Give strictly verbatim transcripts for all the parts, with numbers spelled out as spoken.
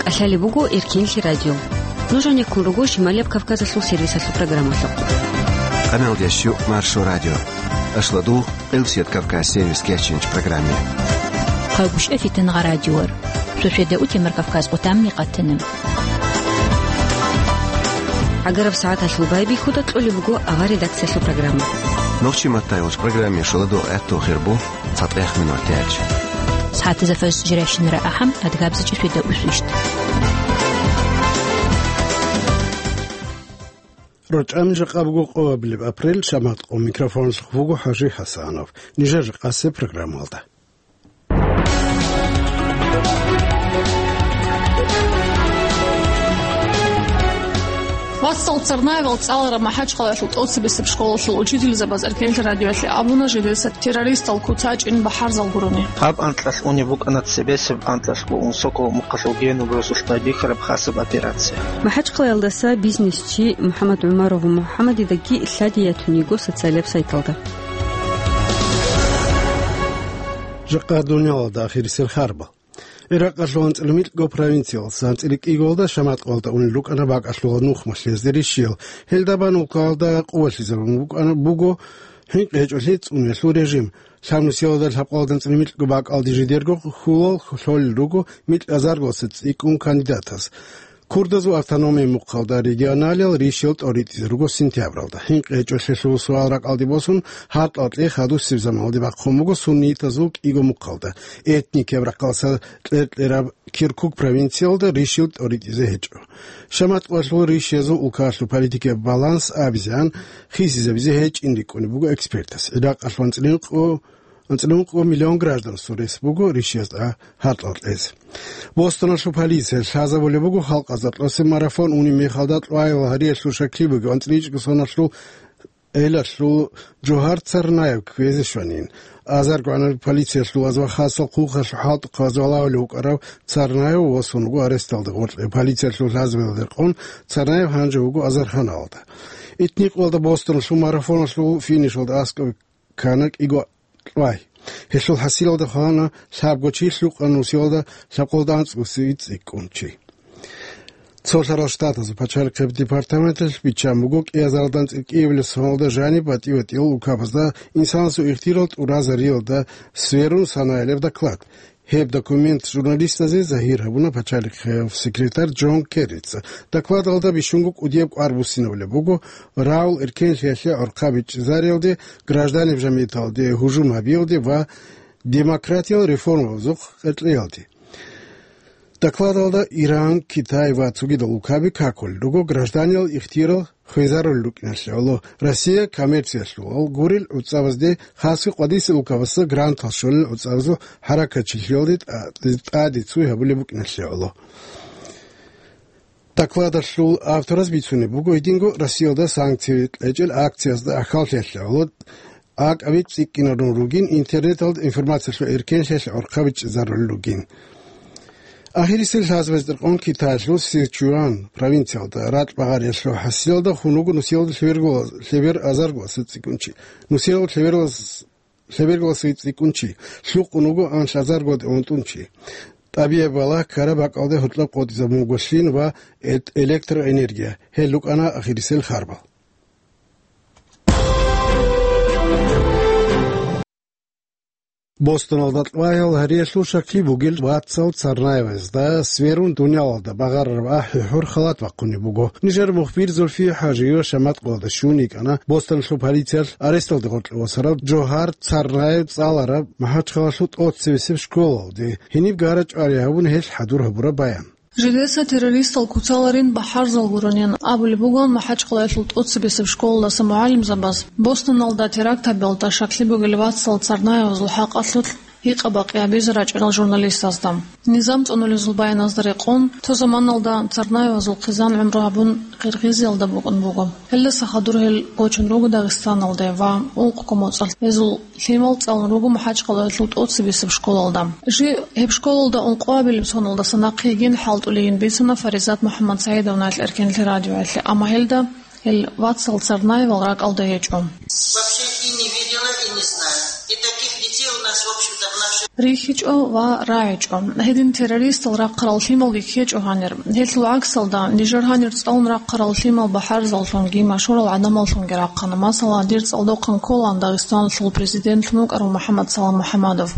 КӀалъалеб буго Эркенлъи радио. Нуж гьанеккун руго Шималияб Кавказалъул сервисалъул программалъухъ. Къаналдящу Маршо радио. Ашладу Элсият Кавказ сервис кечинч программе. Хъагушев Фитен Гъарадиор. Сосведа Утемар Кавказ отамни къатана. ГӀагараб сагӀаталъул байбихьуда кьолеб буго авар редакциялъул программа. Нохчи маттайулч программе шоладу гӀатту хирбу цатӀех минор тяч. СагӀатазафас жиращинара ахӀам адгабзачӀи сосведа усвищ. РачӀами жакъа буго къоабилеб апрель, шамат къо микрофонлъухъ буго ХӀажи ХӀасанов. Нижер жакъасе программалда. Вацал Царнаевал цӀалараб МахӀачхъалаялъул тӀоцебесеб школалъул учительзабаз Эркенлъи радиоялъе абуна жидеца террористал куцачӀин бахӀарзал гурони. Гьаб анкьалъ унеб букӀана цебесеб анкьалъго унсокъо мухъалъул генуб росулъ байбихьараб хасаб операция. МахӀачхъалаялдаса бизнесчи МухӀаммад ГӀумаров МухӀаммадидаги лъади ятун йиго социалияб сайталда. Жакъа дуниялалда ахирисел харбал. Иракъалъул анцӀила микьго провинциялдаса анцӀила кӀиголда шаматкъалда унел рукӀана бакӀалъула нухмалъ гьезде рищиял. Гьелда бан улкалда къувалъизабун букӀана, буго хӀинкъи гьечӀолъи цӀунелъул режим. Лъабнусиялда лъабкъалда анцӀила микьго бакӀалде жидерго хьулал лъолел руго микьазарголъа цӀикӀкӀун кандидатас. Курдазул автономия мухъалда регионалиял рищел тӀоритӀизе руго сентябралда. ХӀинкъи гьечӀолъелъул суал ракӀалде босун, гьаркьал кьей хадусеб заманалде бахъун буго суннитазул кӀиго мухъалда. Этникияб рахъалса кьер-кьераб Киркук провинциялда рищел тӀоритӀизе гьечӀо. Шаматкъалъул рищиязул улкалъул политикияб баланс абизегӀан хисизабизе гьечӀин рикӀкӀунеб буго экспертас. Иракъалъул анцӀила ункъо анцӀила ункъо миллион гражданасул рес буго рищиязда гьаркьал кьезе. Бостоналъул полиция лъазабулеб буго халкъазда кьосеб марафон унеб мехалда кьвайил гьариялъул шаклъи бугев анцӀила ичӀго соналъул гӀелалъул Жогьар Царнаев кквезе щванин. Азарго гӀанаб полициялъул ваз ва хасал хъухъалъул хӀалтӀухъ ваз валагьулев вукӀарав Царнаев васун вуго аресталда гъоркье. Полициялъул лъазабиялда рекъон Царнаев гьанже вуго азарханалда. Итникъалда Бостоналъул марафоналъул финишалда аскӀоб ккана кӀиго кьвай. Гьелъул хӀасилалда хвана лъабго чи, лъукъа нусиялда лъабкъолда анцӀго цӀикӀкӀун чи. Цолъарал Штатазул пачалихъеб департаменталъ биччан буго, кӀиазаралда анцӀила кӀиабилеб соналда жаниб батӀи-батӀиял улкабазда инсанасул ихтирал тӀуразариялда сверун санаялеб доклад. Гьеб документ журналистазе загьир гьабуна пачалихъев секретарь Джон Керрица. Докладалда бищунго кӀудияб кӀвар буссинабулеб буго Раул эркенлъиялъе гӀорхъа бичӀчӀизариялде, гражданиб жамигӀаталде гьужум гьабиялде ва демократиял реформабазухъ къеркьеялде. Докладалда Иран, Китай ва цогидал улкаби какулел руго гражданиял ихтиял хвезарулел рукӀиналъе гӀоло. Россия коммерциялъулал гурел гӀуцӀабазде, хасго къвадисел улкабазда грантал щолел гӀуцӀабазул хӀаракатчилъиялде тӀа-, тӀаде цуй гьабулеб букӀиналъе гӀоло. Докладалъул автораз бицунеб буго, гьединго Россиялда санкци кьечӀел акциязда ахьаллъиялъе гӀоло акӀаби цӀикӀкӀинарун ругин, интернеталда информациялъул эркенлъиялъе гӀорхъа бичӀчӀизарулел ругин. Ахирисел лъазабазда рекъон Китаялъул Сычуан провинциялда ракь багъариялъул хӀасилалда хун вуго нусиялда лъеберго-, лъебер азарго цӀикӀкӀун чи. Нусиялда лъеберго-, лъеберго цӀикӀкӀун чи. Лъукъун вуго анлъазарго унтӀун чи. ТӀабигӀи балагь ккараб бакӀалде гьоркьоб къотӀизабун буго лъим ва эт-, электроэнергия. Гьел рукӀана ахирисел харбал. Бостоналда кьвайил гьариялъул шаклъи бугел вацал Царнаевазда сверун дуниялалда багъарараб ахӀи-хӀур халат бахъунеб буго. Нижер мухбир Зульфия ХӀажиева шаматкъалда щун йикӀана Бостоналъул полициялъ аресталде гъоркье васарав Жогьар Царнаев цӀалараб МахӀачхъалалъул тӀоцебесеб школалде. Гьениб гара чӀвари гьабун гьелъ хӀадур гьабураб баян. Жидеца террористал куцаларин бахӀарзал гуронин абулеб бугон МахӀачхъалаялъул тӀоцебесеб школалдаса мугӀалимзабаз Бостоналда теракт гьабиялда шаклъи бугел вацал Царнаевазул хӀакъалъулъ гьикъа-бакъи гьабизе рачӀарал журналистазда. Низам цӀунулезул баяназда рекъон, цо заманалда Царнаевазул хъизан гӀумру гьабун Къиргъизиялда букӀун буго. Гьелдаса хадур гьел гочун руго Дагъистаналде ва ункъго моцӀалъ гьезул лъимал цӀалун руго МахӀачхъалаялъул тӀоцебесеб школалда. Жи гьеб школалда ункъоабилеб соналдаса нахъе йигин хӀалтӀулейин бицана Фаризат МухӀаммадсагӀидовнаялъ Эркенлъи радиоялъе, амма гьелда Гьел вацал Царнаевал ракӀалда гьечӀо. Вообще и не видела, и не знаю. И таких детей у нас, в общем-то, в нашей РихьичӀо ва рагӀичӀо. Гьедин террористал рахъарал лъималги ккечӀо гьанир. Гьелъул гӀаксалда, нижер гьанир цӀалун рахъарал лъимал бахӀарзаллъунги машгьурал гӀадамаллъунги рахъана. Масала, дир цӀалдохъан кколаан Дагъистаналъул президентлъун вукӀарав МухӀаммад Салам МухӀаммадов.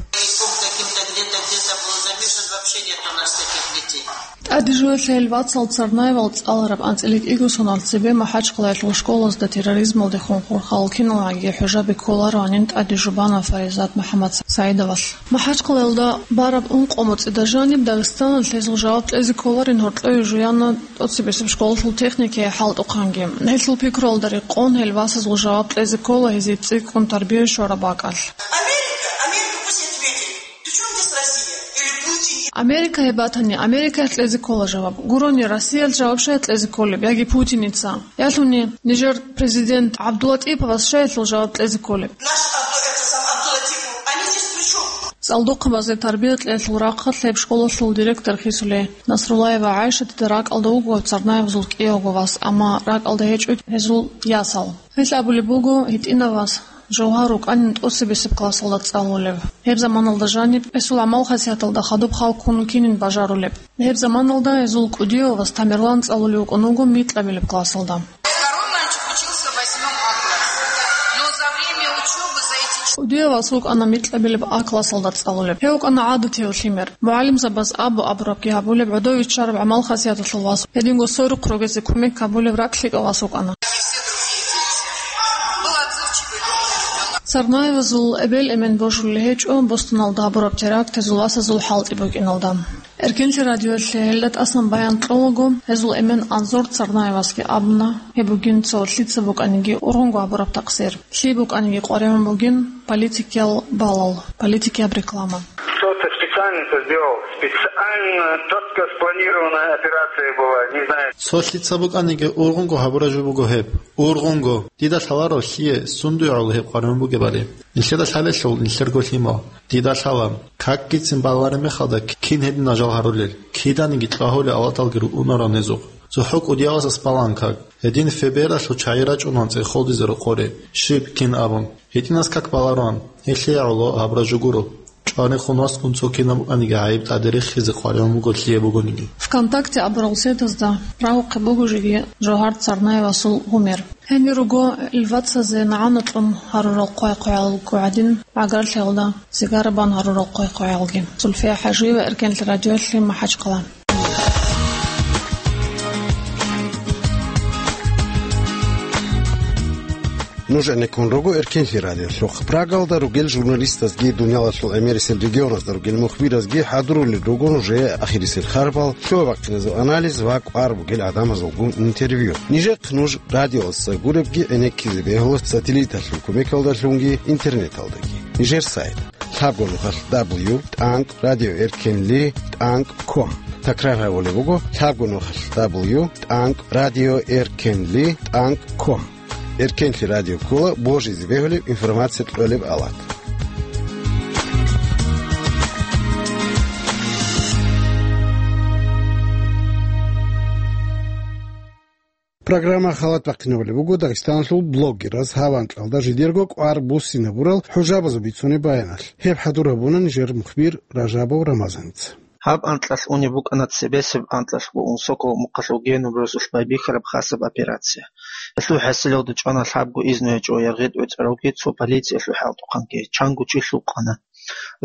Таким-то где-то, где-то был замешан, вообще нет у нас таких детей. ТӀаде жуялъ гьел вацал Царнаевал цӀалараб анцӀила кӀиго соналъ цебе МахӀачкъалаялъул школазда терроризмалдехун хурхарал киналгӀаги хӀужаби кколароанин тӀаде жубана Фаризат МухӀаммад СагӀидовалъ. МахӀачкъалаялда бараб ункъо моцӀида жаниб Дагъистаналъ гьезул жаваб кьезе кколарин гьоркьове жуяна тӀоцебесеб школалъул техникияе хӀалтӀухъанги. Гьелъул пикруялда рекъон гьел васазул жаваб кьезе ккола гьезие цӀикӀкӀун тарбия щвараб бакӀалъ. Америка, Америка пусть ответит. При чём здесь Россия? Или Путин? Америка гьеб батани, Америкаялъ кьезе ккола жаваб. Гурони, Россиялъ жаваб щай кьезе кколеб, яги Путиница? Ялъуни, нижер президент ГӀабдулатӀиповас щай гьелъул жаваб кьезе кколеб? Наш Абду-, это сам Абдулатипов, они здесь при чём? ЦӀалдохъабазе тарбия кьеялъул рахъалъ гьеб школалъул директор хисулей Насруллаева ГӀайшатида ракӀалда вуго Царнаевазул кӀиявго вас, амма ракӀалда гьечӀо гьезул ясал. Гьелъ абулеб буго, гьитӀинав вас Жавгьар вукӀанин тӀоцебесеб классалда цӀалулев. Гьеб заманалда жаниб гьесул гӀамал-хасияталда хадуб хал ккун вукӀинин бажарулеб. Гьеб заманалда гьезул кӀудияв вас Тамерлан цӀалулев вукӀун вуго микьабилеб классалда. Второй мальчик учился в восьмом А классе. Но за время учёбы, за эти ч- КӀудияв вас вукӀана микьабилеб А классалда цӀалулеб. Гьев вукӀана гӀадатияв лъимер. МугӀалимзабаз абу абурабги гьабулеб, гӀодов иччараб гӀамал-хасияталъул вас, гьединго сорухъ ругезе кумек гьабулеб ракӀлъикӀав вас вукӀана. Царнаевазул эбел-эмен божулел гьечӀо Бостоналда гьабураб терактазул васазул хӀалтӀи букӀиналда. Эркенлъи радиоялъе гьелда тӀасан баян кьолаго, гьезул эмен Анзор Царнаевасги абуна, гьеб бугин цо лъица букӀаниги ургъунго гьабураб такъсир. Лъие букӀаниги къваригӀун бугин политикиял балал, политикияб реклама. Кто-то специально это сделал, специально четко спланированная операция была, не знаю. Цо лъица букӀаниги ургъунго гьабураб жо буго гьеб. Ургъунго. Дида лъаларо лъие, сундуе гӀоло гьеб къваригӀун бугебали. Нилъеда лъалелъул нилъерго лъимал. Дида лъала, какгицин балареб мехалда кин гьедин нажал гьарулел, киданиги кьвагьулел авлаталги руунарал гьезухъ. ЦохӀо кӀудиявасас балаан как. Гьедин ФБР-алъул чагӀи рачӀунаан цӀехолдизе рокъоре, щиб кин абун. ГьитӀинас как балароан, гьелъие гӀоло гьабураб жо гуро. ЧӀварехун васкун цо кинаб букӀаниги гӀайиб тӀаде рехизе къваригӀун буго лъие бугониги. ВКонтакте абурал сетазда рагьухъе буго жеги Жавгьар Царнаевасул гъумер. Гьенир руго ил вацазе нагӀана кьун гьарурал хъвай-хъваялго гӀадин, гӀагарлъиялда сигара бан гьарурал хъвай-хъваялги. Зульфия ХӀажиева, Эркенлъи радиоялъе, МахӀачкъала. Нуж гӀенеккун руго Эркенлъи радиолъухъ. Прагалда ругел журналистазги, дуниялалъул гӀемерисел регионазда ругел мухбиразги хӀадурулел руго нужее ахирисел харбал, лъугьа-бахъиназул анализ ва кӀвар бугел гӀадамазулгун интервью. Нижехъ нуж радиоялдаса гуребги гӀенеккизе бегьула сателлиталъул кумекалдалъунги интернеталдаги. Нижер сайт: лъабго нухалъ дабл ю тӀанкӀ радио эркенли тӀанкӀ ком. Такрар гьабулеб буго: лъабго нухалъ дабл ю тӀанкӀ радио эркенли тӀанкӀ ком. Эркенлъи радио ккола божизе бегьулеб информация кьолеб авлад. Программа халат бахъинабулеб буго Дагъистаналъул блогераз гьав анкьалда жидерго кӀвар буссинабурал хӀужабазул бицунеб баяналъ. Гьеб хӀадур гьабуна нижер мухбир Ражабов Рамазаница. Гьаб анкьалъ унеб букӀана цебесеб анкьалъго Унсоков мухъалъув Генуб росулъ байбихьараб хасаб операция. Гьелъул хӀасилалда чӀвана лъабго изну гьечӀо яргъи тӀоцӀаравги цо полициялъул хӀалтӀухъанги, чанго чи лъукъана.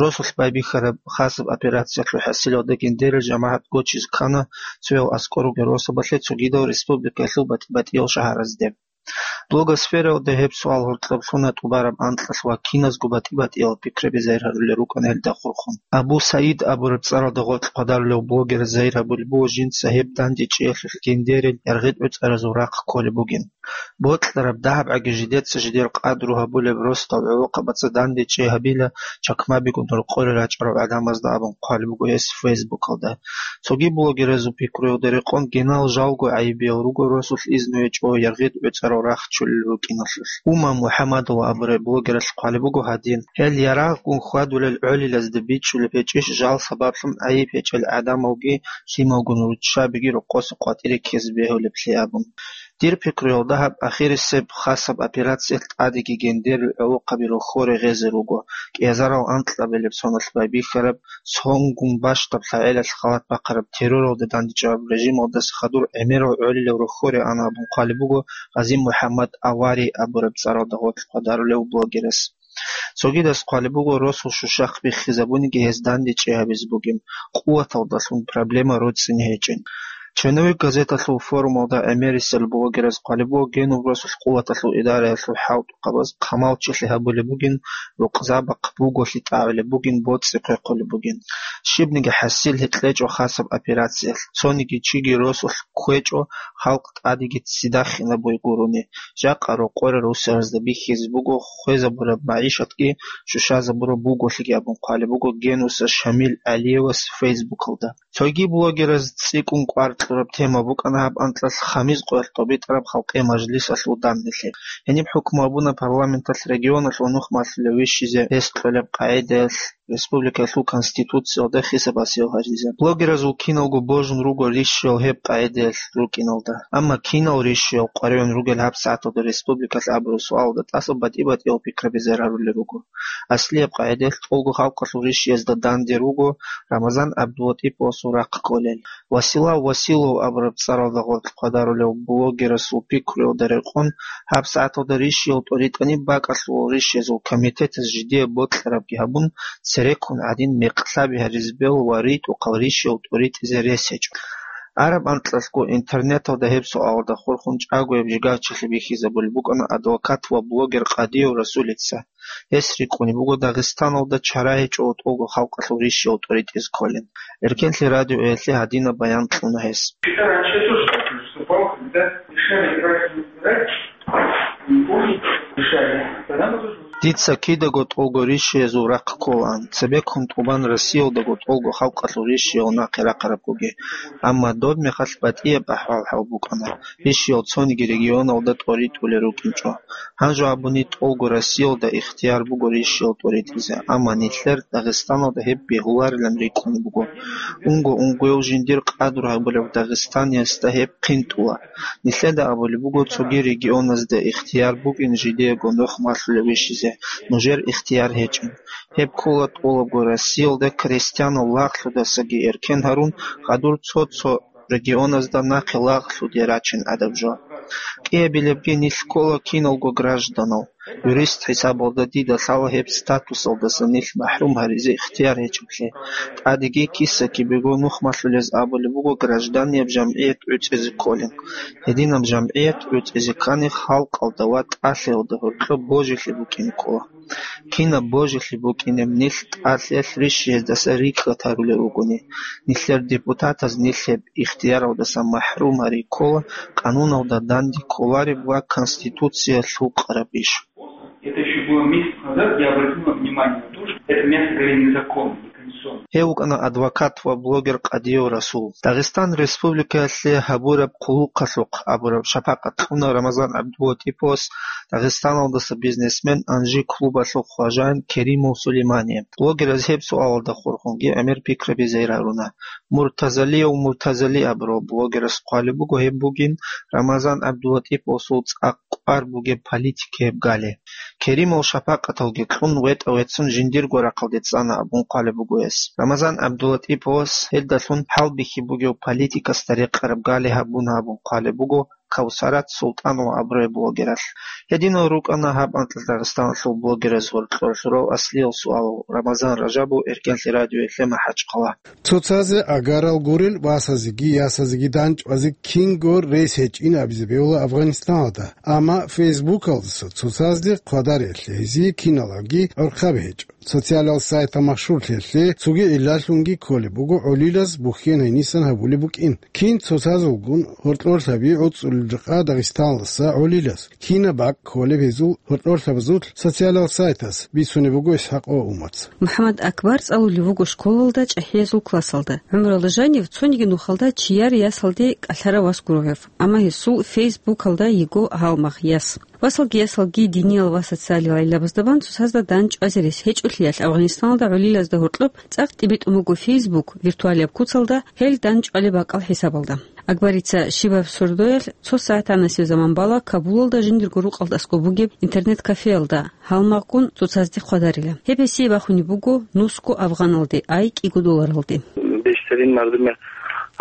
Росулъ байбихьараб хасаб операциялъул хӀасилалда гьиндерил жамагӀат гочизе ккана цоял аскӀор ругел росабалъе цогидал республикаялъул батӀи-батӀиял шагьаразде. Блогосфераялда гьеб суал гьоркьоб лъуна тӀубараб анкьалъ ва киназго батӀи-батӀиял пикраби загьир гьарулел рукӀана гьелда хурхун. Абу Саид абураб цӀаралда гъоркь хъвадарулев блогер загьир гьабулеб буго жинца гьеб дандечӀеялъулъ гьиндерил яргъи тӀоцӀаразул рахъ кколеб бугин. Бокьараб дагьабгӀаги жидеца жидер къадру гьабулеб росдал гӀолохъабаца дандечӀей гьабила чакмабигун рокъоре рачӀарал гӀадамазда абун хъвалеб буго гьес Фейсбукалда. Цоги блогеразул пикруялда рекъон гьенал жалго гӀайибиял руго росулъ изну гьечӀо яргъи тӀоцӀарал рахъ чолел рукӀиналъулъ. Умма МухӀаммадова абураб блогералъ хъвалеб буго гьадин: гьел ярагъгун хьвадулел гӀолилазда бичӀчӀулеб гьечӀищ жал сабаблъун гӀайиб гьечӀел гӀадамалги лъималгун руччабиги рокъоса къватӀире ккезе бегьулеблъи абун. Дир пикруялда гьаб ахирисеб хасаб операциялъ тӀадеги гендерил гӀолохъаби рохьоре гъезе руго, кӀиазарал анкьабилеб соналъ байбихьараб, сонгун бащдаб лъагӀелалъ халат бахъараб терроралда дандчӀвараб режималдаса хадур гӀемерал гӀолилал рохьоре ана абун хъвалеб буго Гъази МухӀаммад Авари абураб цӀаралда гъорлъ хъвадарулев блогерас. Цогидас хъвалеб буго, росул щущахъ биххизабуниги гьез дандечӀей гьабизе бугин, къуваталдалъун проблема роцӀцӀине гьечӀин. Черновик газеталъул форумалда гӀемерисел блогераз хъвалеб буго, генуб росулъ къуваталъул идараялъул хӀалтӀухъабаз хъамалчилъи гьабулеб бугин, рукъзабахъ буголъи тӀагӀулеб бугин, боцӀи хъвехъулеб бугин. Щибниги хӀасил гьекьечӀо хасаб операциялъ, цониги чиги росулъ кквечӀо, халкъ тӀадеги ццидахинаб буй гурони. Жакъа рокъоре русаразда бихьизе буго хвезабураб магӀишатги щущазабураб буголъиги абун хъвалеб буго Генуса Шамил ГӀалиевас Фейсбукалда. Цоги блогераз цӀикӀкӀун кӀвар кьураб тема букӀана гьаб анкьалъ хамиз къоялъ тӀобитӀараб халкъи мажлисалъул данделъи. Гьениб хӀукму гьабуна парламенталъ регионалъул нухмалъулев вищизе рес кьолеб къагӀидаялъ республикаялъул Конституциялда хисабасиял гьаризе. Блогеразул киналго божун руго рищиял гьеб къагӀидаялъ рукӀиналда. Амма кинал рищиял къваригӀун ругел гьабсагӀаталда республикалъ абураб суалалда тӀаса батӀи-батӀиял пикраби зарарулел руго. Аслияб къагӀидаялъ тӀолго халкъалъул рищиязда данде руго Рамазан ГӀабдулатӀиповасул рахъ кколел. Василав Василов абураб цӀаралда гъорлъ хъвадарулев блогерасул пикруялда рекъон, гьабсагӀаталда рищиял тӀоритӀани бакӀалъулал рищиязул комитетас жидее бокьарабги гьабун, цереккун гӀадин мекълъаби гьаризе бегьула ва ритӀухъал рищиял тӀоритӀизе рес гьечӀо. Араб анкьалъго интернеталда гьеб суалалда хурхун чӀагояб жигарчилъи бихьизабулеб букӀана адвокат ва блогер Къадиев Расулица. Гьес рикӀкӀунеб буго Дагъистаналда чара гьечӀо тӀолго халкъалъул рищиял тӀоритӀизе кколин. Эркенлъи радиоялъе гьадинаб баян кьуна гьес. Раньше я тоже так выступал, когда решали, как избирать, не помню, как решали. Тогда мы тоже выступали. Дица кидаго тӀолго рищиязул рахъ кколаан, цебеккун тӀубан Россиялдаго тӀолго халкъалъул рищиял нахъе рахъараб бугеб, амма доб мехалъ батӀияб ахӀвал гьаб букӀана, рищиял цониги регионалда тӀоритӀулел рукӀинчӀо. Гьанже абуни тӀолго Россиялда ихтияр буго рищиял тӀоритӀизе, амма нилъер Дагъистаналда гьеб бегьуларилан рикӀкӀунеб буго. Унго-унгояв жиндир къадру гьабулев дагъистаниясда гьеб хъинтӀула. Нилъеда абулеб буго цоги регионазда ихтияр букӀин жидеего нухмалъулев вищизе, нужер ихтияр гьечӀин. Гьеб ккола тӀолабго Россиялда крестьянал лагълъудасаги эркен гьарун, хадур цо-цо регионазда нахъе лагълъуде рачун гӀадаб жо. КӀиабилебги нилъ ккола киналго гражданал. Юрист хӀисабалда дида лъала гьеб статусалдаса нилъ махӀрум гьаризе ихтияр гьечӀеблъи. ТӀадеги киса-кибего нухмалъулез абулеб буго гражданияб жамгӀият гӀуцӀизе кколин. Гьединаб жамгӀият гӀуцӀизе ккани халкъалда ва тӀалъиялда гьоркьоб божилъи букӀине ккола. Кинаб божилъи букӀинеб нилъ тӀалъиялъ рищиездаса рикӀкӀад гьарулел ругони. Нилъер депутатаз нилъ гьеб ихтияралдаса махӀрум гьари ккола, къануналда данде кколареб ва Конституция лъукъараб иш. Это ещё было месяц назад, я обратил на внимание на то, что это, мягко говоря, незаконно, неконституционно. Гьев вукӀана адвокат ва блогер Къадиев Расул. Дагъистан Республикаялъе гьабураб хъулухъалъухъ абураб шапакъат кьуна Рамазан ГӀабдулатӀиповас Дагъистаналдаса бизнесмен Анжи клубалъул хважаин Керимов Сулеймание. Блогераз гьеб суалалда хурхунги гӀемер пикраби зайраруна. Муртазалиев Муртазали абурав блогерас хъвалеб буго гьеб бугин Рамазан ГӀабдулатӀиповасул цӀакъ кӀвар бугеб политикияб гали. Керимал шапакъаталги кьун, ветӀа-веццун жиндирго рахъалде цӀана абун хъвалеб буго гьес. Рамазан ГӀабдулатӀиповас гьелдалъун хӀалбихьи бугев политикасда рекъараб гали гьабуна абун хъвалеб буго Кавсарат Султанова абураб блогералъ. Гьединал рукӀана гьаб анкьалъ Дагъистаналъул блогераз гьоркьор лъурав аслиял суалал. Рамазан Ражабов, Эркенлъи радиоялъе, МахӀачхъала. Цоцазе агарал гурел васазеги ясазеги данчӀвазе кинго рес гьечӀин абизе бегьула Афганистаналда, амма Фейсбукалдаса цоцазде хъвадарелъе гьезие киналги гӀорхъаби гьечӀо. Социалал сайтал машгьурлъиялъе цоги гӀиллалъунги кколеб буго гӀолилаз бухьен гьенисан гьабулеб букӀин. Кин цоцазулгун гьоркьорлъаби гӀуцӀулел жакъа Дагъистаналдаса гӀолилаз. Кинаб бакӀ кколеб гьезул гьоркьорлъабазул социалал сайтас, бицунеб буго ИсхӀакъ ва Умаца. МухӀаммад Акбар цӀалулев вуго школалда чӀахӀиязул классалда. ГӀумралда жанив цониги нухалда чияр ясалде кӀалъарав вас гуро гьев, амма гьесул Фейсбукалда йиго гьалмагъ яс. Васалги ясалги диниял ва социалиял гӀиллабазда бан цоцазда данчӀвазе рес гьечӀолъиялъ Афганистаналда гӀолилазда гьоркьоб цӀакъ тӀибитӀун буго Фейсбук виртуалияб куцалда гьел данчӀвалеб бакӀал хӀисабалда. Акбарица щибаб сордоялъ цо сагӀат гӀанасеб заман бала Кабулалда жиндирго рукъалда аскӀоб бугеб интернет-кафеялда, гьалмагъгун цоцазде хъвадарила. Гьеб гьесие бахунеб буго нусго афгъаналде, ай кӀиго долларалде. Бештарин мардуми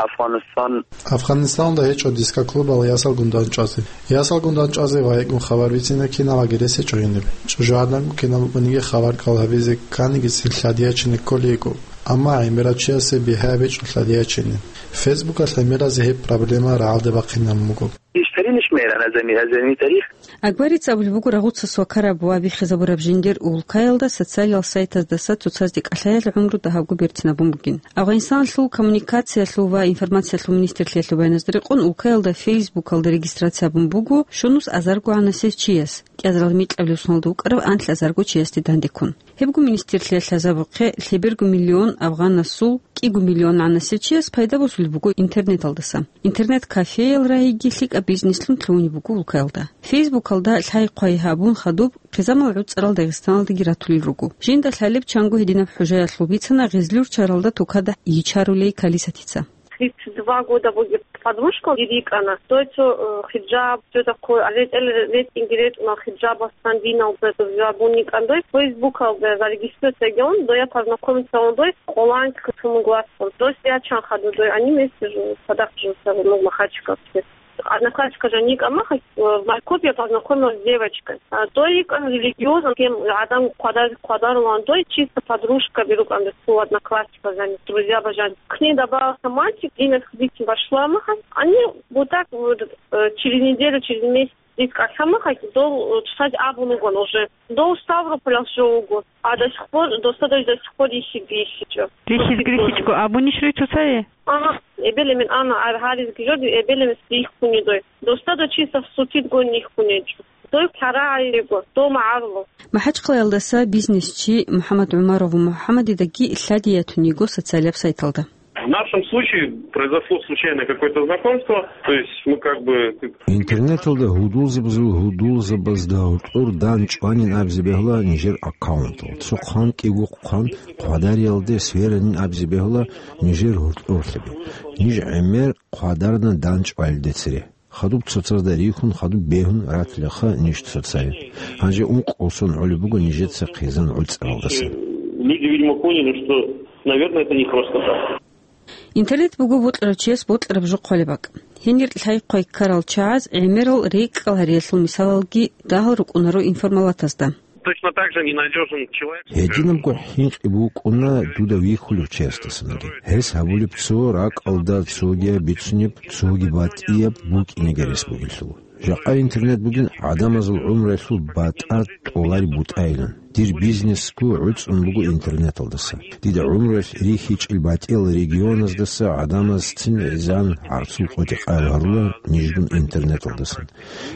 Афгъанистан. Афгъанистаналда гьечӀо диско-клубал ясалгун дандчӀвазе. Ясалгун дандчӀвазе ва гьекӀун хабар бицина киналаги рес гьечӀо гьениб. ЧӀужугӀаданго кинаб букӀаниги хабар кӀал гьабизе кканигицин лъадиячине кколей йиго. Амма гӀемерав чиясе бигьа гьабичӀо лъадиячине. Фейсбукалъ гӀемеразе гьеб проблема рагӀалде бахъинабун буго. Бештарин иш мейран азами, азами тарих. Акбарица абулеб буго, рагъуца свакараб ва биххизабураб жиндир улкаялда социалал сайтаздаса цоцазде кӀалъаялъ гӀумру дагьабго берцинабун бугин. Афгъанистаналъул коммуникациялъул ва информациялъул министрлъиялъул баяназда рекъон, улкаялда Фейсбукалда регистрация гьабун буго щунус азарго гӀанасев чияс, кӀиазарал микьабилеб соналда вукӀарав анлъазарго чиясде дандеккун. Гьебго министрлъиялъ лъазабухъе, лъеберго миллион афгъанасул кӀиго миллион гӀанасев чияс пайда босулеб буго интернеталдаса. Интернет-кафеял рагьиги лъикӀаб бизнеслъун лъугьунеб буго улкаялда. Фейсбукалда лъай-хъвай гьабун хадуб, хъизамал гӀуцӀарал Дагъистаналдаги ратулел руго. Жинда лъалеб чанго гьединаб хӀужаялъул бицана Гъезлюрччаралда тукада йичарулей Калисатица. Тридцать два года будет подружка, дир йикӀана. Дой цо, э, хиджаб, цо такой, а ретӀел ретӀинги ретӀуна хиджабасан, диналда зурбун йикӀан дой. Фейсбукалда зарегистрироваться гьавун, дой я познакомиться гьавун дой, къоланг касумугласун. Дой ячан хадур дой, они вместе живут, цадахъ живут, ну, Махачкале. Одноклассника же никак, э, в Майкопе я познакомилась с девочкой. А, дой йикӀан религиозно, кем гӀадан хъвадар-, хъвадарулан дой, чисто подружка берукӀан дой, цо одноклассника жаниб, друзья бажан. К ней добавился мальчик, имя скажите, вошла махалъ. Они вот так вот, э, через неделю, через месяц дир кӀалъа махалъ, дол, э, чӀалъазе абун вугон уже. Дов Ставрополалъ жо вуго. А до сих пор, досда дой до сих пор рихьиги рихьичӀо. Рихьизги рихьичӀого абунищ руй цоцае? Ага, эбел-эмен ана, ар гьаризги жо, эбел-эмен рихьуни дой. Досда дой чисто сутидгун рихьунечӀо. Дой хъарагӀайго, дов магӀаруло. МахӀачхъалаялдаса бизнесчи МухӀаммад ГӀумаров МухӀаммадидаги лъади ятун йиго социалаб сайталда. В нашем случае произошло случайно какое-то знакомство, то есть мы как бы... Интернеталда гьудулзабазул гьудулзабазда гьоркьор дандчӀванин абизе бегьула нижер аккаунтал. Цо хъван кӀиго хъван хъвадариялде сверанин абизе бегьула нижер гьоркьорлъаби. Ниж гӀемер хъвадарна дандчӀвалиде цере. Хадуб цоцазда рихьун, хадуб бегьун ратилаха ниж цоцае. Гьанже ункъо сон гӀолеб буго нижеца хъизан гӀуцӀаралдаса. Люди, видимо, поняли, что, наверное, это не просто так. Интернет буго бокьарав чияс бокьараб жо хъвалеб бакӀ. Гьенир лъай-хъвай ккарал чагӀаз гӀемерал рекӀкӀал гьариялъул мисалалги дагьал рукӀунаро информалатазда. Точно так же ненадёжен человек. Гьединабго хӀинкъи букӀуна дуда вихьулев чиясдасанги. Гьес гьабулеб цо ракӀалда цогияб бицунеб, цоги батӀияб букӀинеги рес бугелъул. Жакъа интернет бугин гӀадамазул гӀумруялъул батӀа тӀолареб бутӀайилан. Дир бизнесго гӀуцӀун буго интернеталдаса. Дида гӀумруялъ рихьичӀел батӀиял регионаздаса гӀадамаз цин гӀезан гӀарцул къотӀи-къаял гьарула нижгун интернеталдасан.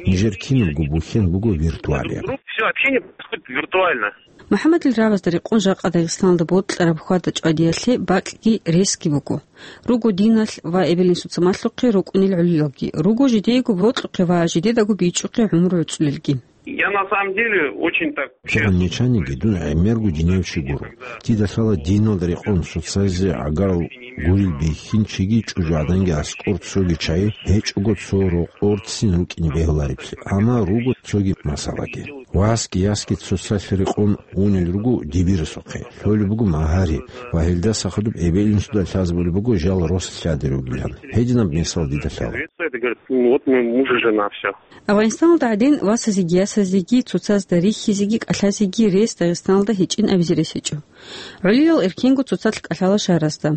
Нижер кинабго бухьен буго виртуалияб. Всё общение происходит виртуально. МухӀаммадил рагӀабазда рекъон жакъа Дагъистаналда бокьараб хьвада-чӀвадиялъе бакӀги ресги буго. Руго диналъ ва эбел-инсуца малъухъе рукӀунел гӀолилалги, руго жидеего бокьухъе ва жидедаго бичӀчӀухъе гӀумру гӀуцӀулелги. Я на самом деле очень так... КигӀан нечаниги дун гӀемерго динияв чи гуро. Дида лъала диналда рекъон цоцазе гӀагарал гурил бихьинчиги чӀужугӀаданги аскӀор цоги чагӀи гьечӀого цо рокъор цин рукӀине бегьулареблъи, амма руго цоги масалаги. Васги ясги цоцалъ рекъон унел руго дибирасухъе, лъолеб буго магьари ва гьелдаса хадуб эбел-инсуда лъазабулеб буго жал рос лъади ругилан. Гьединаб мисал дида лъала. Говорит: «Ну вот мы муж и жена, всё». Афгъанистаналда гӀадин, васазеги ясазеги цоцазда рихьизеги кӀалъазеги рес Дагъистаналда гьечӀин абизе рес гьечӀо. ГӀолилал эркенго цоцалъ кӀалъала шагьаразда.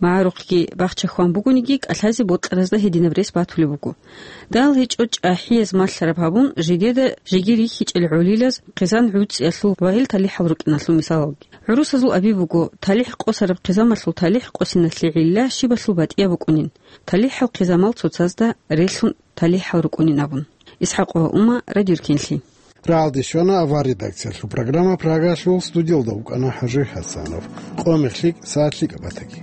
МагӀарухъги бахча хьван бугониги, кӀалъазе бокьаразда гьединаб рес батулеб буго. Дагьал гьечӀо чӀахӀияз малъараб гьабун, жидеда жеги рихьичӀел гӀолилаз хъизан гӀуцӀиялъул ва гьел талихӀал рукӀиналъул мисалалги. ГӀурусазул аби буго, талихӀ къосараб хъизамалъул талихӀ къосиналъе гӀилла щибалъул батӀияб букӀунин. ТалихӀал хъизамал цоцазда релълъун талихӀал рукӀунин абун. ИсхӀакъова Ума, Радио Руккинлъи. РагӀалде щвана авар редакциялъул программа, Прагалъул студиялда вукӀана ХӀажи ХӀасанов. Къо-мех лъикӀ, сагӀат лъикӀаб батаги.